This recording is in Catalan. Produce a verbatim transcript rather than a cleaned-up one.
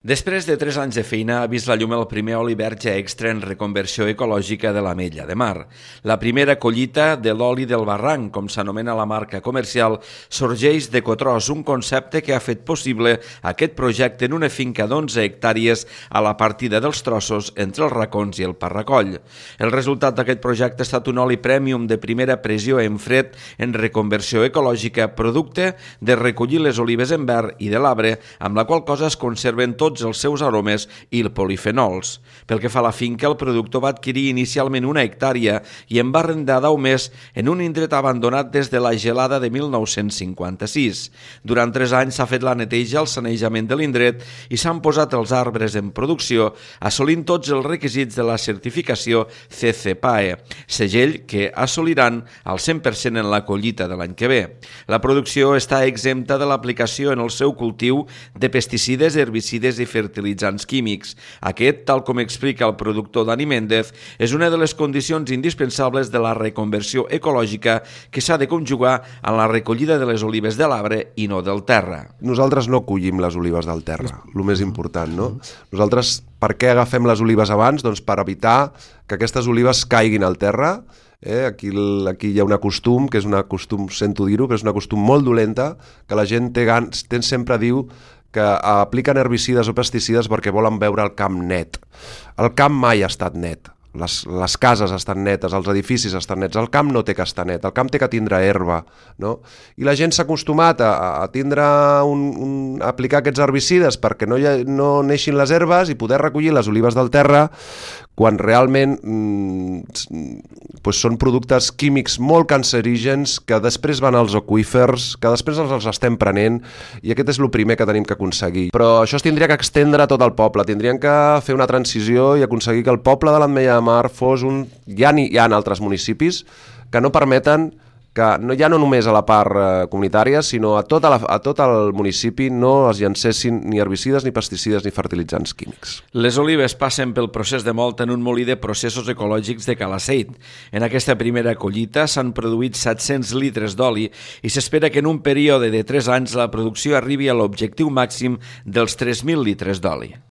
Després de tres anys de feina ha vist la llum el primer oli verge extra en reconversió ecològica de l'Ametlla de Mar. La primera collita de l'oli del barranc, com s'anomena la marca comercial, sorgeix d'Ecotros, un concepte que ha fet possible aquest projecte en una finca d'onze hectàrees a la partida dels Trossos entre els Racons i el Parracoll. El resultat d'aquest projecte ha estat un oli prèmium de primera pressió en fred en reconversió ecològica, producte de recollir les olives en verd i de l'arbre, amb la qual cosa es conserven tots els seus aromes i polifenols. Pel que fa a la finca, el productor va adquirir inicialment una hectàrea i en va arrendar deu més en un indret abandonat des de la gelada de mil nou-cents cinquanta-sis. Durant tres anys s'ha fet la neteja, el sanejament de l'indret i s'han posat els arbres en producció, assolint tots els requisits de la certificació C C P A E, segell que assoliran al cent per cent en la collita de l'any que ve. La producció està exempta de l'aplicació en el seu cultiu de pesticides, herbicides i fertilitzants químics. Aquest, tal com explica el productor Dani Méndez, és una de les condicions indispensables de la reconversió ecològica que s'ha de conjugar en la recollida de les olives de l'arbre i no del terra. Nosaltres no collim les olives del terra, el més important, no? Nosaltres, per què agafem les olives abans? Doncs per evitar que aquestes olives caiguin al terra. Eh, aquí, aquí hi ha un costum, que és un costum, sento dir-ho, però és una costum molt dolenta, que la gent té gans, té, sempre diu que apliquen herbicides o pesticides perquè volen veure el camp net. El camp mai ha estat net. Les, les cases estan netes, els edificis estan nets, el camp no té que estar net, el camp té que tindre herba, no? I la gent s'ha acostumat a, a tindre un, un, a aplicar aquests herbicides perquè no, hi ha, no neixin les herbes i poder recollir les olives del terra quan realment mm, pues són productes químics molt cancerígens que després van als aqüífers, que després els, els estem prenent, i aquest és el primer que tenim que aconseguir. Però això es tindria que extendre a tot el poble, tindrien que fer una transició i aconseguir que el poble de l'Ametlla de Mar fos un... Ja hi ha altres municipis que no permeten que no, ja no només a la part eh, comunitària, sinó a tot, a, la, a tot el municipi no es llancessin ni herbicides, ni pesticides, ni fertilitzants químics. Les olives passen pel procés de mòlt en un molí de processos ecològics de Calaceit. En aquesta primera collita s'han produït set-cents litres d'oli i s'espera que en un període de tres anys la producció arribi a l'objectiu màxim dels tres mil litres d'oli.